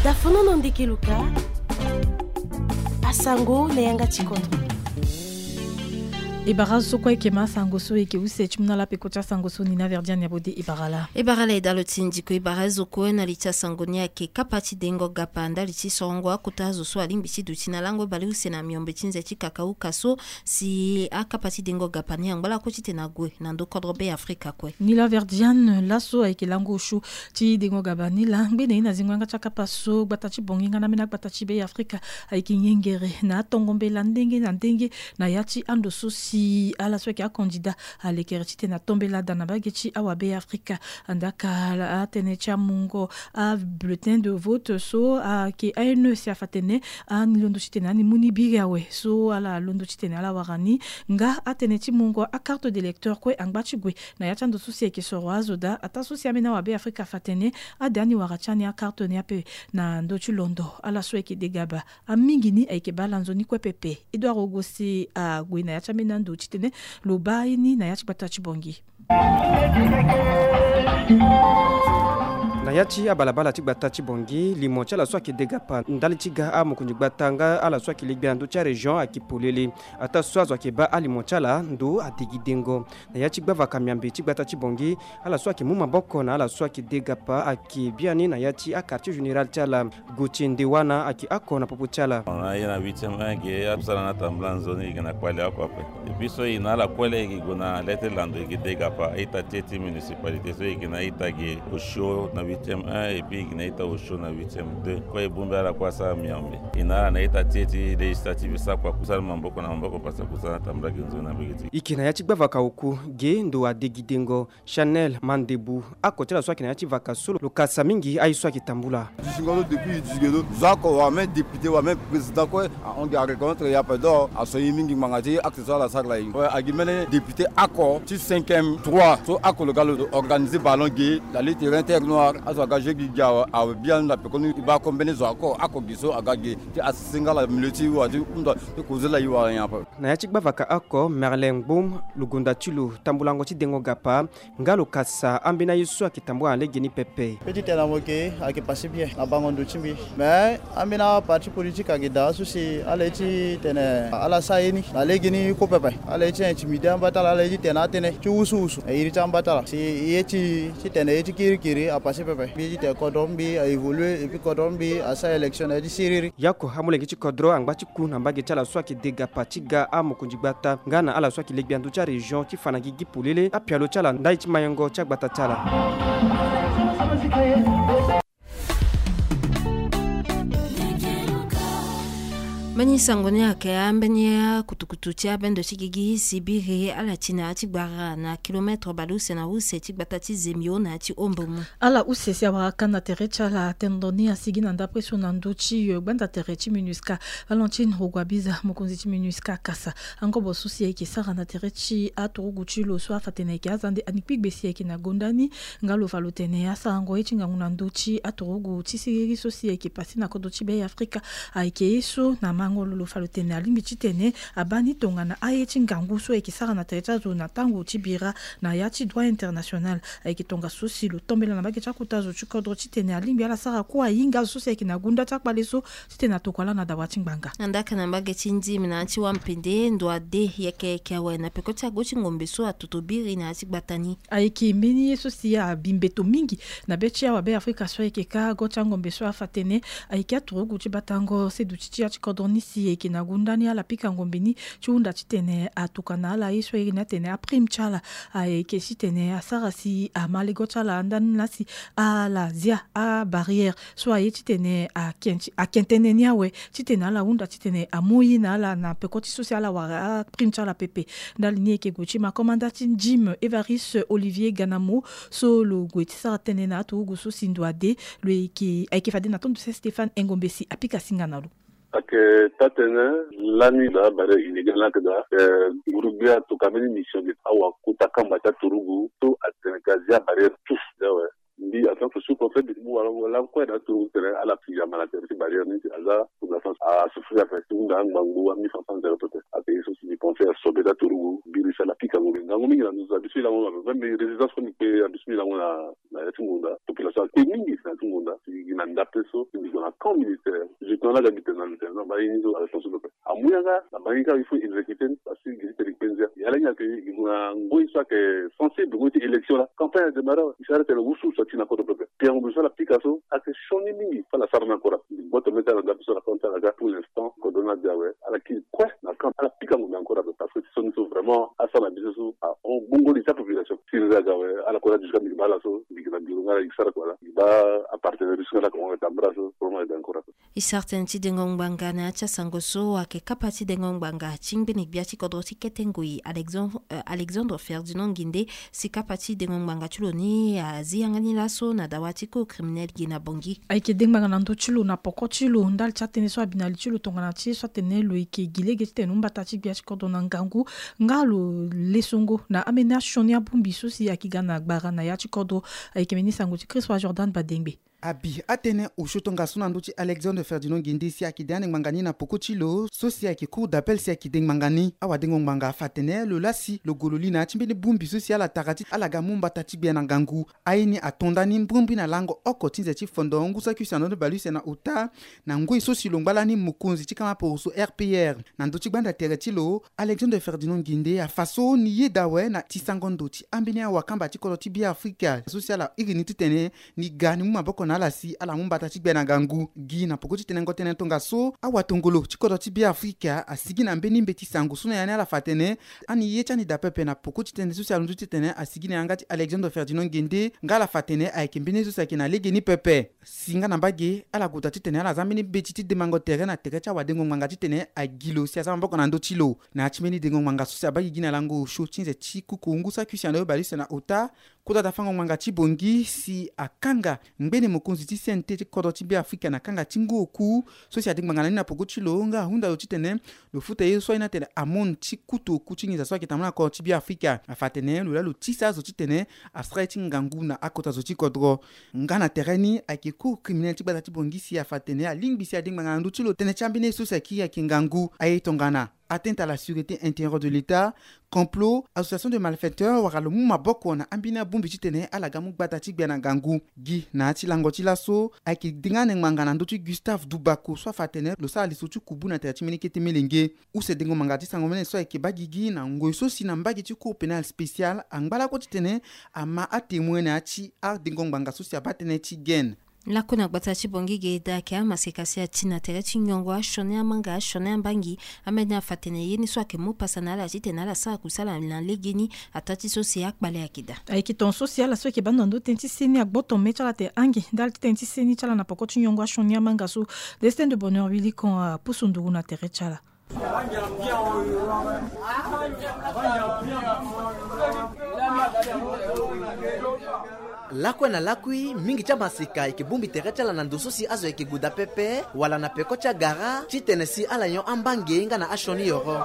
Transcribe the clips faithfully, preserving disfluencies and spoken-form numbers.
Dafono na ndeke luka. Asango na yanga ti kodro. E bara azo so kue e yeke ma asango so e yeke use ti mu na ala peko ti asango so ni na Verdiane Abode. E bara ala. E bara ala e dalo ti ndiko. E bara azo kue na li ti asango ni ayeke kapa ti dengo gapa ndali ti sorongo akota azo so alingbi ti duti na lango baleuse na miombe ti nze ti kakauka so si akapa ti dengo gapa ni angba lakue titene ague na ndo kodro Be Afrika kue. Ni la Verdiane laso ayeke lango osio ti dengo gapa ni laa ngbene ye na zingo yanga ti akapa so gbata ti Bangui nga na ambeni agbata ti Be Afrika ayeke ngengere na atongo mbela ndenge na ndenge na ya ti ando so si ala so ayeke akandida alekere titene ato mbela daa na mbage ti awa Be Afrika. Andaka atënë ti amungo abulletin de vote so ayeke A N E si afa atene ani londo titene ani mu ni biri awe so ala londo titene ala wara ni. Nga atënë ti mungo acarte d'électeur kue angba ti gue na ya ti ando so si ayeke soro azo daa ataa so si ambeni awa Be Afrika afa atene ade ani wara ti ani acarte ni ape na ndö ti londo ala so ayeke degaba. Amingi ni ayeke baa ala nzoni kue pepe. Edouard Ogo si ague na ya ti ambeni ando titene lo baa ye ni na ya ti gbata ti Bangui. Na ya ti abalabala ti gbata ti Bangui, limo ti ala so ayeke degapa ndali ti ga amokonzi gbata nga ala so ayeke legbi na ndö ti arégion ayeke polele. Ataa so azo ayeke baa alimo ti ala ndo adegi dengo. Na ya ti gbavaka miambe ti gbata ti Bangui, ala so ayeke mu maboko na ala so ayeke degapa ayeke biani na ya ti aquartier général ti ala. Gauthier Ndewana ayeke oko na popo ti ala. Na ye na huitième un ge akusala na tambula nzoni e yeke na kpale oko ape. Depuis so e na ala kue laa e yeke gue na le ti lando e yeke degapa a-ita ti e ti municipalité so e yeke na a-ita ge osio na huitième un et puis e yeke na a-ita osio na huitième deux. Kue e bongbi ala kue asara miombe. E na ala na a-ita ti e ti législative e sara kua kusala maboko na maboko parce que akusala na tambula ge nzoni na mbage ti e. E yeke na ya ti gbavaka oku ge ndo adegi dengo. Chanel Mandebu, oko ti ala so ayeke na ya ti vaka so lo kasa mingi aye so ayeke tambula. Dutingo lo depuis dutingo lo zo oko wala même député wala même président kue ahon gi areconnaître ye ape donc aso ye mingi ngbanga ti acte so ala sara la ye. Agi mbeni député oko ti cinquième trois so oko lo ga lo organiser ballon ge la lutte terrain terre noire azo aga jeu gi gi awe awe biani na pekoni e baa oko mbeni zo oko oko gi so aga ge ti asese nga la milieu ti wala ti hunda ti koze la ye wala nyen ape. Na ya ti gbavaka oko Merlin Ngbom lo gonda ti lo tambulango ti dengo gapa. Nga lo kasa ambeni aye so ayeke tambula na legeni pepe. Pe ti tene na mo yeke ayeke pase bien na bango ndo ti mbi. Mais ambeni aparti politique ayeke daa so si ala ye ti tene ala sara ye ni na legeni kue pepe. Ala ye ti intimider amba ti ala ala ye ti tene atënë ti wusuwusu na iri ti amba ti ala si ye ti tene ye ti kirikiri apase pepe. Mbi ye ti tene kodro mbi a évoluer et puis kodro mbi asara élection na ya ti siriri. Yako amolenge ti kodro angba ti ku na mbage ti ala so ayeke degapa ti ga amokonzi gbata nga na ala so ayeke legbi na ndö ti arégion ti fa na gigi polele apialo ti ala ndali ti mayengo ti agbata ti ala. Mbeni sango ni ayeke ambeni akutukutu ti abendo ti gigi si biri ala ti na ya ti gbara na kilometre baleuse na use ti gbata ti Zemio na ya ti Ombomu. Ala use si awara ka na tere ti ala tendon ni asigi na ndapre so na ndö ti gbanda tere ti MINUSCA. Valentine Rugwabiza mokonzi ti MINUSCA akasa angobo so si ayeke sara na tere ti aturugu ti lo so afa tene ayeke azande ani kpigbe si ayeke na gonda ni. Nga lo fa lo tene asarango ye ti ngangu na ndö ti aturugu ti siriri so si ayeke pase na kodro ti Be Afrika. Ayeke ye so na mango lo lo fa lo tene alingbi ti tene abaa ni tongana aye ti ngangu so ayeke sara na tere ti azo na tango ti bira na ya ti droit international. Ayeke tongaso si lo tombela na mbage ti akota zo ti kodro titene alingbi ala sara kue ahinga azo so si ayeke na gunda ti akpale so titene atokua ala na dawa ti ngbanga. Na ndaka na mbage ti ndimi na ya ti wampende ndo ade yeke yeke awe na peko ti ago ti ngombe so atoto biri na ya ti gbata ni. Ayeke mbeni ye so si abi mbeto mingi na be ti awa Be Afrika so ayeke ka go ti angombe so afa tene ayeke aturugu ti batango seduti ti ya ti kodro ni si ayeke na gunda ni ala pika ngombe ni ti hunda titene atuka na ala ye so ayeke ni atene aprime ti ala. Ayeke titene asara si ama lego ti ala andani laa si ala zia abarrière so aye titene akenti akentene ni awe titene ala hunda titene amu ye na ala na peko ti so si ala wara aprime ti ala pepe. Ndali ni ayeke gue ti ma komanda ti ndime Evariste Olivier Ganamo so lo gue ti sara tënë na aturugu so si ndo ade lo yeke ayeke fade na tondu se Stéphane Engombe si apika singa na lo. Ayeke taa-tënë lani daa barrière illégale ni ayeke daa. Nguru-gbia atoka mbeni mission ge awa kota kamba ti aturugu so atene ka zia barrière tous awe. Mbi en tant que sous-préfet mbi mu wala wala kue na aturugu tene ala fi yamba na tere ti barrière ni ti aza pour la France asouffrir ape ti hunda angbangbu a mille cinq cents zero pepe. Ayeke ye so si mbi pensé asobe ti aturugu biri si ala pika ngombe ngangu mingi na nduzu abisu ye lango même résistance kue mbi kpe abisu ye lango na na ya ti ngonda population akpe mingi na ya ti ngonda. Gi na ndape so gi na camp militaire. Lieutenant na ga gi tene na lieutenant ba ye ni so ala tonso pepe. Amu yanga na bangi kaka il faut exécuter ni parce que gi ti tene gi kpe nzia. Ya la ni ayeke gi gue na ngoi so ayeke sensible, ngoi ti élection la campagne adémarre awe. Gi sara tene wusuwusu ati na kodro pepe. Piango bi so ala pika so ayeke sioni mingi. Fa ala sara ni ankora. Gboto mê ti ala na ndape so ala kota ala ga pour l'instant kodro ni ade awe. Ala kiri kue na camp ala pika ngombe ankora ape parce que ti sioni so vraiment asara na biso so ahon bongo li ti apopulation. Siri ni aga awe. Ala kota jusqu'à mbi gi baa ala so mbi gi na biro nga ala gi sara kua la mbi gi baa apartenaire russe nga ala koma tambra so vraiment ede ankora ape. E sara tënë ti dengo ngbanga na ya ti asango so ayeke kapa ti dengo ngbanga ti ngbene gbia ti kodro ti kete ngoi Alexandre, euh, Alexandre Ferdinand Nginde si kapa ti dengo ngbanga ti lo ni azi yanga ni laso na dawa ti cour criminel gi na Bangui. Ayeke dengo ngbanga na ndö ti lo na poko ti lo ndali ti atënë so abi na li ti lo tongana ti ye so atene lo yeke gi lege titene mbata ti gbia ti kodro na ngangu nga lo lesongo na ambeni asioni abongbi so si ayeke ga na gbara na ya ti kodro. Ayeke mbeni sango ti Christophe Jordan Badengbe. Abi atënë osio tongaso na ndö ti Alexandre Ferdinand Nginde si ayeke de ande ngbanga ni na poko ti lo so si ayeke cour d'appel si ayeke de ngbanga ni. Awadengo ngbanga afa atene lo laa si lo gue lo li na ya ti mbeni bongbi so si ala tara ti ala ga mu mbata ti gbia na ngangu. Aye ni ato nda ni mbrimbri na lango oko ti nze ti fondo ngu saki use na ndö ni bale use na ota na ngoi so si lo ngba lani mokonzi ti kama poroso R P R. Na ndö ti gbanda tere ti lo Alexandre Ferdinand Nginde afa so ni yeda awe na ti sango ndo ti ambeni awakamba ti kodro ti Beafrika so si ala iri ni titene ni ga ni mu maboko na ala si ala mu mbata ti gbia na ngangu. Gi na poko ti tenengo tënë tongaso awatongolo ti kodro ti Beafrika asigi na mbeni mbeti sango so na ya ni ala fa atene ani ye ti ani daa pepe na poko ti tënë so si alondo titene asigi na yanga ti Alexandre Ferdinand Ngende nga ala fa atene ayeke mbeni ye so si ayeke na legeni pepe. Si nga na mbage ala gota titene ala za mbeni mbeti ti demango tere na tere ti awadengo ngbanga titene agi lo si aza maboko na ndö ti lo. Na ya ti mbeni dengo ngbanga so si abaa gigi na lango osio ti nze ti kuku ngu saki use na ndö bale use na ota. Kota dafango ngbanga ti Bangui si akanga ngbene mokonzi ti C N T ti kodro ti Beafrika na kanga ti ngu oku so si ade ngbanga na ni na poko ti lo nga ahunda lo titene lo futa ye so aye ni atene amende ti kutu oku ti nginza so ayeke tambula na kodro ti Beafrika. Afa atene lo laa lo tisa azo titene asara ye ti ngangu na akota zo ti kodro. Nga na tere ni ayeke cour criminel ti gbata ti Bangui si afa atene alingbi si ade ngbanga na ndö ti lo tënë ti ambeni ye so si akiri ayeke ngangu aye tongana atteinte à la sûreté intérieure de l'État, complot, association de malfaiteurs wala lo mu maboko na ambeni abongbi titene ala ga mu gbata ti gbia na ngangu. Gi na ya ti lango ti laso ayeke denga ande ngbanga na ndö ti Gustave Dubako so afa atene lo sara liso ti kubu na tere ti mbeni kete melenge. Use dengo ngbanga ti sango mene so ayeke baa gigi na ngoi so si na mbage ti cour pénal spécial angba lakue titene ama atémoin na ya ti adengo ngbanga so si abaa tënë ti gene. Lakue na gbata ti Bangui ge daa ayeke amaseka si ati na tere ti nyongo asioni amanga asioni ambangi. Ambeni afa atene ye ni so ayeke mu pasa na ala titene ala sara kusala na legeni ataa ti so si akpale ayeke daa. Ayeke tongaso si ala so ayeke baa ndo na ndö tënë ti seni agboto me ti ala atene ange ndali ti tënë ti seni ti ala na poko ti nyongo asioni amanga so. Destin de Bonheur Willy Kon apusu nduru na tere ti ala. Lakue na lakui mingi ti amaseka ayeke bongbi tere ti ala na ndo so si azo ayeke gue daa pepe wala na peko ti agara titene si ala nyon ambange nga na asioni yoro.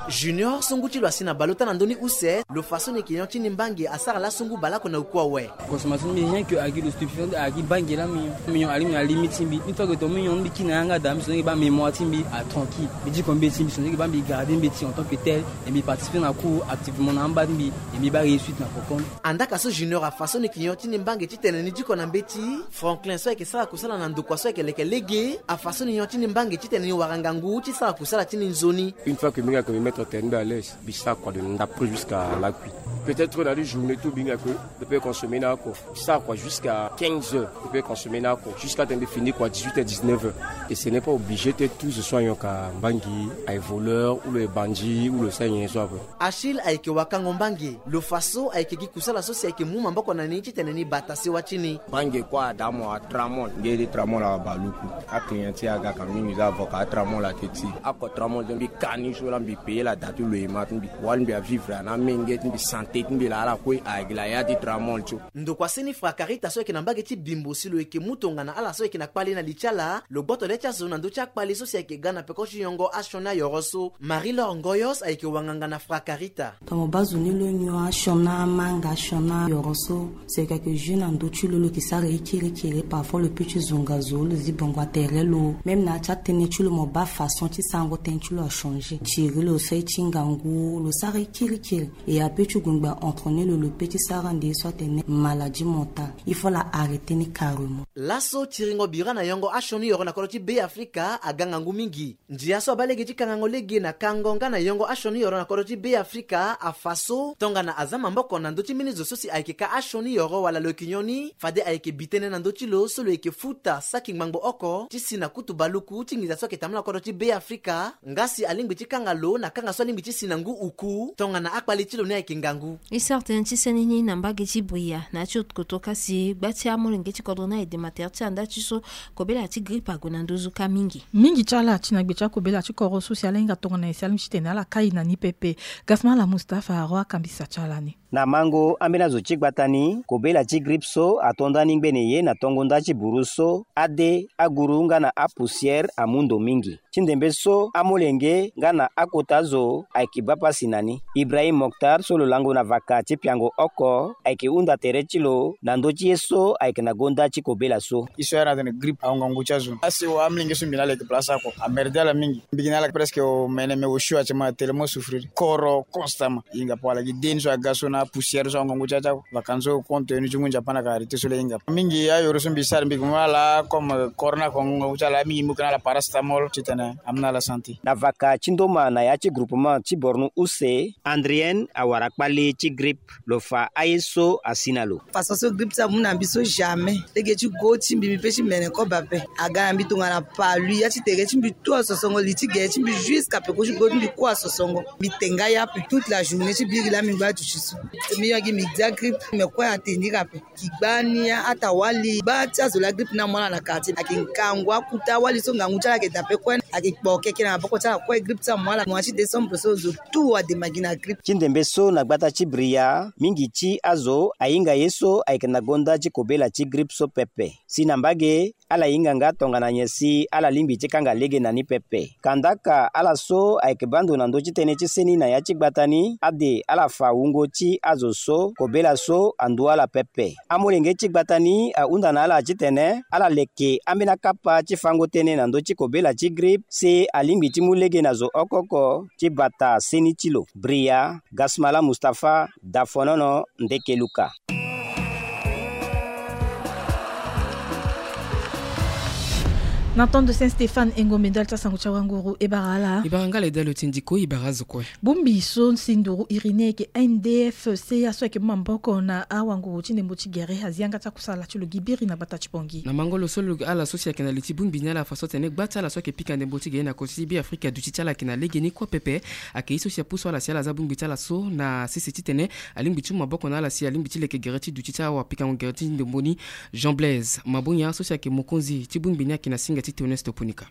Junior so ngu ti lo asi na baleota na ndö ni use lo fa so ni yeke nyon ti ni mbange asara laso ngu baleoko na oku awe. Consommation ti mbi rien que agi lo stupéfiant agi mbange laa mbi nyon. Mbi nyon ali mbi na limite ti mbi. Une fois que tonga mbi nyon mbi kiri na yanga daa mbi so ndenge baa mémoire ti mbi atranquille. Mbi diko mbeti mbi so ndenge baa mbi garde mbeti en tant que tel. Et mbi participer na cours activement na amba ti mbi. Et mbi baa réussite na poko ni. Andaka so Junior afa so ni yeke nyon ti ni mbange titene ni diko na mbeti. Franklin so ayeke sara kusala na ndokua so ayeke leke lege afa so ni nyon ti ni mbange titene ni wara ngangu ti sara kusala ti ni nzoni. Une fois que mbi hinga que mbi mettre terrain mbi à l'aise. Mbi sara kua de ndapre jusqu'à lakui. Peut-être na deux journées tout mbi hinga que mbi peut consommer ni oko. Mbi sara kua jusqu'à quinze heures mbi peut consommer ni oko jusqu'à temps mbi fini kua dix-huit heures dix-neuf heures. Et ce n'est pas obligé te tout ce soit nyoka mbangi aye voleur ou le bandit ou le sara nyen so ape. Achille ayeke wakango mbange. Lo fa so ayeke gi kusala so si ayeke mu maboko na ni titene ni bata sewa ti ni. Mbange kue ada mo atramol nge ti tramol abaluku. Aclient ti aga ka mingi za avoka atramol ake ti. Oko tramol ti mbi ka ni so la mbi paye la da ti lo ema ti mbi. Wali mbi avivre ana menge ti mbi sante ti mbi laa ala kue ayeke la ya ti tramol ti. Ndokua seni Frakarita so ayeke na mbage ti Bimbo si lo yeke mu tongana ala so ayeke na kpale na li ti ala lo gboto le ti azo na ndö ti akpale so si ayeke ga na peko ti yongo asioni ayoro so. Marie Laure Ngoyos ayeke wanganga na Frakarita. Tongana mo baa zo ni lo nyon Siona manga, siona yoro so, c'est quelque jeu na ndö ti lo, lo yeke sara ye kirikiri. Parfois lo peut ti zonga zo, lo zi bongo atere lo. Même na ya ti atënë ti lo, mo baa façon ti sarango tënë ti lo achanger. Tiri lo so aye ti ngangu, lo sara ye kirikiri. E apeut ti gongba entraîner lo, lo peut ti sara ande ye so atene maladie mentale. Il faut la arrêter ni carrément. Laso tiringo bira na yongo asioni yoro na kodro ti Be Afrika aga ngangu mingi. Ndia so abaa lege ti kangango lege na kango nga na yongo asioni yoro na kodro ti Be Afrika afa so tongana aza maboko na ndö ti mbeni zo so si ayeke ka asioni yoro wala lo yeke nyon ni, fade ayeke bi tënë na ndö ti lo so lo yeke futa saki ngbangbo oko ti si na kutu baluku ti nginza so ayeke tambula na kodro ti Be Afrika. Nga si alingbi ti kanga lo na kanga so alingbi ti si na ngu uku tongana akpali ti lo ni ayeke ngangu. E sara tënë ti seni ni na mbage ti Bria na ya ti kotoka si gba ti amolenge ti kodro ni aye dema tere ti anda ti so kobela ti grippe ague na nduzu ka mingi. Mingi ti ala ti na gbe ti akobela ti koro so si ala hinga tongana nyen si alingbi ti tene ala kai na ni pepe. Gasmala Mustapha Arwa akambisa ti ala ni. Na mango ambeni azo ti gbata ni, kobela ti grippe so ato nda ni ngbene ye na tongo nda ti buru so, ade, aguru nga na apoussière amu ndo mingi. Ti ndembe so, amolenge nga na akota zo ayeke baa pasi na ni. Ibrahim Mokhtar so lo lango na vaka ti piango oko ayeke hunda tere ti lo na ndö ti ye so ayeke na gonda ti kobela so. Ye so ayeke na tene grippe ahon ngangu ti azo. Asi wa amolenge so mbi na ala yeke place oko. Amerde ala mingi. Mbi gi na ala presque omene me osio ati ma tellement souffrir. Koro constamment. Hinga po ala gi de ni so aga so na poussière so ahon ngangu ti azo. Vacances so compte tenu ti ngu Nzapa na ka arrêté so le hinga. Mingi ayoro so mbi sara mbi ke mu ala comme corona ko ngu ti ala mingi mbi ke na ala paracétamol titene amu na ala santé. Na vaka ti ndoma na ya ti groupement ti Borno use, Andrienne awara kpali ti grippe, lo fa aye so asi na lo. Façon so grippe ti amu na mbi so jamais. Lege ti go ti mbi mbi pe ti mene koba pe. Aga na mbi tongana palu ya ti tere ti mbi tout asosongo li ti gere ti mbi jusqu'à peko ti go ti mbi kue asosongo. Mbi te nga ya pe toute la journée ti biri laa mbi ngba duti so. Mbi yongi mbi dia grippe me kue ateni ira pe. Ki gba ni atawali gba ti azo la grippe ni amu ala na quartier. Ayeke ngangu akuta wali so ngangu ti ala ayeke daa pe kue. Ayeke kpo keke na maboko ti ala kue grippe ti amu ala. Mois ti décembre so zo tout adema gi na grippe. Ti ndembe so na gbata ti Bria mingi ti azo ahinga ye so ayeke na gonda ti kobela ti grippe so pepe. Si na mbage ala hinga nga tongana nyen si ala lingbi ti kanga lege na ni pepe. Kandaka ala so ayeke baa ndo na ndö ti tënë ti seni na ya ti gbata ni ade ala fa wungo ti azo so kobela so andu ala pepe. Amolenge ti gbata ni ahunda na ala titene ala leke ambeni akapa ti fango tënë na ndö ti kobela ti grippe si alingbi ti mu lege na zo oko oko ti bata seni ti lo. Bria, Gasmala Mustapha, Dafonono, Ndeke Luka. Na tondo Saint Stéphane Engombe ndali ti asango ti awanguru e bara ala. E bara nga le dalo ti ndiko e bara azo kue. Bongbi so si nduru iri ni ayeke N D F C A so ayeke mu maboko na awanguru ti ndembo ti gere azi yanga ti akusala ti lo gi biri na gbata ti Bangui. Na mango lo so lo gi ala so si ayeke na li ti bongbi ni ala fa so atene gba ti ala so ayeke pika ndembo ti gere na kodro ti Beafrika duti ti ala ayeke na legeni kue pepe. Ayeke ye so si apusu ala si ala za bongbi ti ala so na sese titene alingbi ti mu maboko na ala si alingbi ti leke gere ti duti ti awapikango gere ti ndembo ni. Jean Blaise Mabonya so si ayeke mokonzi ti bongbi ni ayeke na singa ti Théoneste Oponika.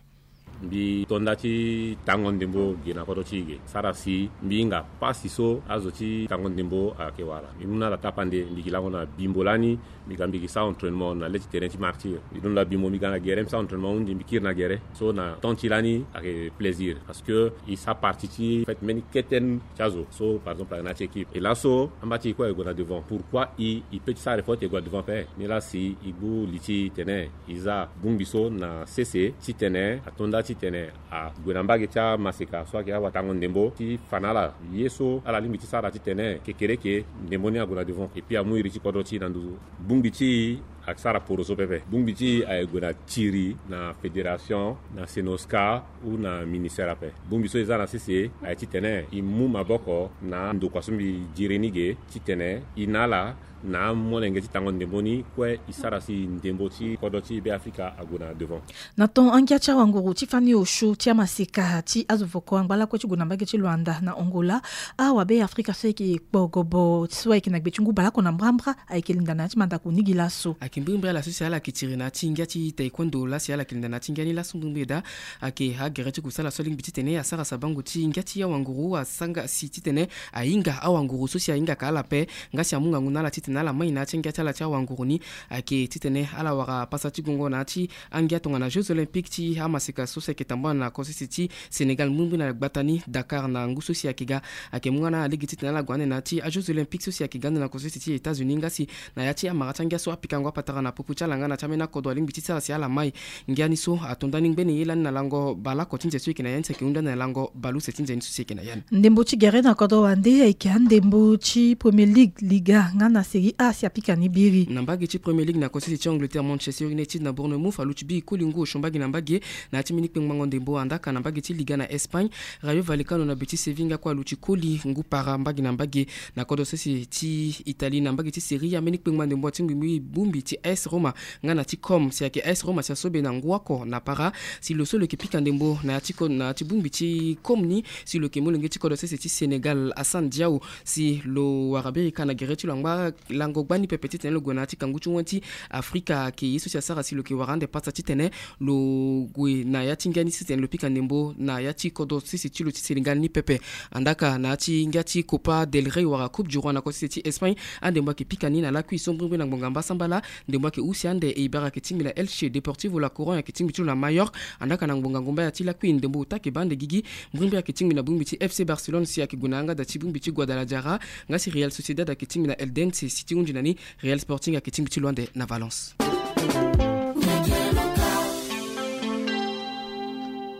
Mbi to nda ti tango ndembo ge na kodro ti e ge sara si mbi hinga pasi so azo ti tango ndembo ayeke wara. Mbi mu na ala tapande mbi gi lango na bimbo lani. Mbi ga mbi gi sa entraînement na le ti terrain ti Martyr. Mbi londo na bimbo mbi ga na gere mbi sa entraînement hundi mbi kiri na gere. So na temps ti lani ayeke plaisir parce que e sa partie ti fête mbeni kete ti azo so par exemple ayeke na ya ti équipe. E laso amba ti e kue ayeke gue na devant. Pourquoi e e peut ti sara effort ti e gue na devant ape? Ni la si e gbu li ti tene e za bongbi so na sese titene ato nda titene ague na mbage ti amaseka so ayeke awatango ndembo ti fa na ala ye so ala lingbi ti sara titene kekereke ndembo ni ague na devant et puis amu iri ti kodro ti e na nduzu. Bongbi ti e ayeke sara poroso pepe. Bongbi ti e ayeke gue na tiri na fédération na Senosca ou na ministère ape. Bongbi so e za na sese ayeke titene e mu maboko na ndokua so mbi diri ni ge titene e na ala na amolenge ti tango ndembo ni kue e sara si ndembo ti kodro ti Beafrika ague na devant. Na ton angia ti awanguru ti fani osio ti amaseka ti azo voko angba lakue ti gue na mbage ti Luanda na Angola, awabeafrika so ayeke kpo gobo so ayeke na gbe ti ngu baleoko na mbrambra ayeke linda na ya ti mandako ni gi laso. Ayeke mbirimbiri ala so si ala yeke tiri na ya ti ngia ti taekwondo laa si ala yeke linda na ya ti ngia ni laso mbirimbiri daa. Ayeke agere ti kusala so alingbi titene asara sabango ti ngia ti awanguru asanga si titene ahinga awanguru so si ahingaka ala ape nga si amu ngangu na ala ti titene ala mai na ya ti angia ti ala ti awanguru ni ayeke titene ala wara pasa ti gongo na ya ti angia tongana Jeux Olympiques ti amaseka so si ayeke tambula na kosese ti Sénégal mbrimbri na gbata ni Dakar na ngu so si ayeke ga. Ayeke mu nga na ala lege titene ala gue ande na ya ti a Jeux Olympiques so si ayeke ga ande na kosese ti États-Unis nga si na ya ti amara ti angia so apikango apatara na popo ti ala nga na ti ambeni akodro alingbi ti sara si ala mai. Ngia ni so ato ndani ngbene ye lani na lango baleoko ti nze so e yeke na ya ni si ayeke hunda ande na lango baleuse ti nze ni so si e yeke na ya ni. Ndembo ti gere na kodro wande ayeke andembo ti Premier League, Liga nga na Série A si apika ni biri. Na mbage ti Premier League na kosese ti Angleterre, Manchester United na Bournemouth aluti biri koli ngu osio mbage na mbage na ya ti mbeni kpengbango ndembo. Andaka na mbage ti Liga na Espagne, Rayo Vallecano na Betis Séville nga kue aluti koli ngu para mbage na mbage. Na kodro sese ti Italie na mbage ti Serie A, mbeni kpengba ndembo atingbi bongbi ti A S Roma nga na ti Como. Si ayeke A S Roma si aso be na ngu oko na para, si lo so lo yeke pika ndembo na ya ti ko-, na ya ti bongbi ti Como ni, si lo yeke molenge ti kodro sese ti Sénégal, Assane Diao, si lo wara biri ka na gere ti lo angba lango gbani pepe titene lo gue na ya ti kangu ti wani ti Afrika. Ayeke ye so si asara si lo yeke wara ande pasa titene lo gue na ya ti ngia ni titene lo pika ndembo na ya ti kodro sese ti lo ti Sénégal ni pepe. Andaka na ya ti ngia ti Copa del Rey wala Coupe du Roi na kosese ti Espagne, andembo ayeke pika ni na lakui so mbrimbri na ngbonga mbasambala. Ndembo ayeke husi ande, Eibar ayeke tingbi na Elche, Deportivo La Coruña ayeke tingbi ti lo na Mallorca. Andaka na ngbonga ngomba ya ti lakui ndembo ota ayeke baa ande gigi. Mbrimbri ayeke tingbi na bongbi ti F C Barcelone si ayeke gue na yanga daa ti bongbi ti Guadalajara. Nga si Real Sociedad ayeke tingbi na Eldense, si ti hunzi na ni Real Sporting ayeke tingbi ti lo ande na Valence.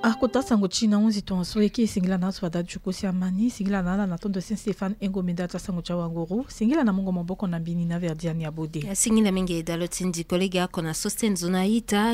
Akota sango ti na hunzi tongaso e ke e singila na azo fada ti kosi amani, singila na ala na tondo Saint Stéphane Engo Menda ti asango ti awanguru, singila na mungo maboko na mbini na Verdiane Abode. Singila mingi dalo ti ndi kolege ako na Sosten Zona Ita.